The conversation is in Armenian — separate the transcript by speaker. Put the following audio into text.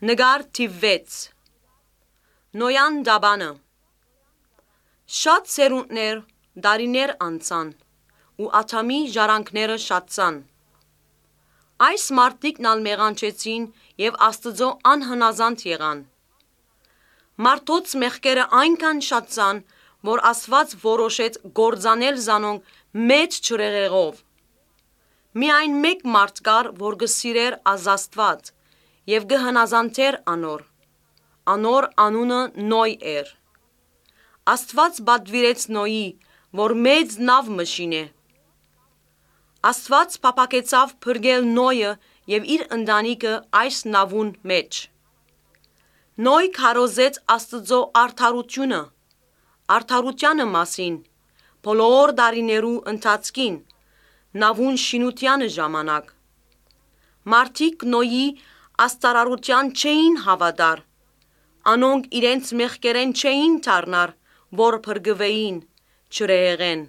Speaker 1: Նգար թիվ 6 Նոյան դաբանը Շատ սերունդներ դարիներ անցան ու Աթամի ժառանգները շատցան Այս մարդիկն ալ մեղանչեցին և Աստծո անհնազանդ եղան Մարդոց մեղքերը այնքան շատցան որ Աստված որոշեց գործանել զանոնք մեծ ջրեղեղով Միայն մեկ մարդ կար որ գսիրեր Աստված և գհնազանդեր անոր Անոր անունը Նոյ էր Աստված պատվիրեց Նոյի որ մեծ նավ մշինե Աստված փափագեցավ փրկել Նոյը և իր ընտանիքը այս նավուն մեջ Նոյ քարոզեց Աստծո արդարությունը արդարությանը մասին բոլոր դարիներու ընթացքին նավուն շինությանը ժամանակ Մարդիկ Նոյի աստարարության չէին հավատար Անոնք իրենց մեղքերեն չէին դառնար որ փրկվեին ջրեղեղեն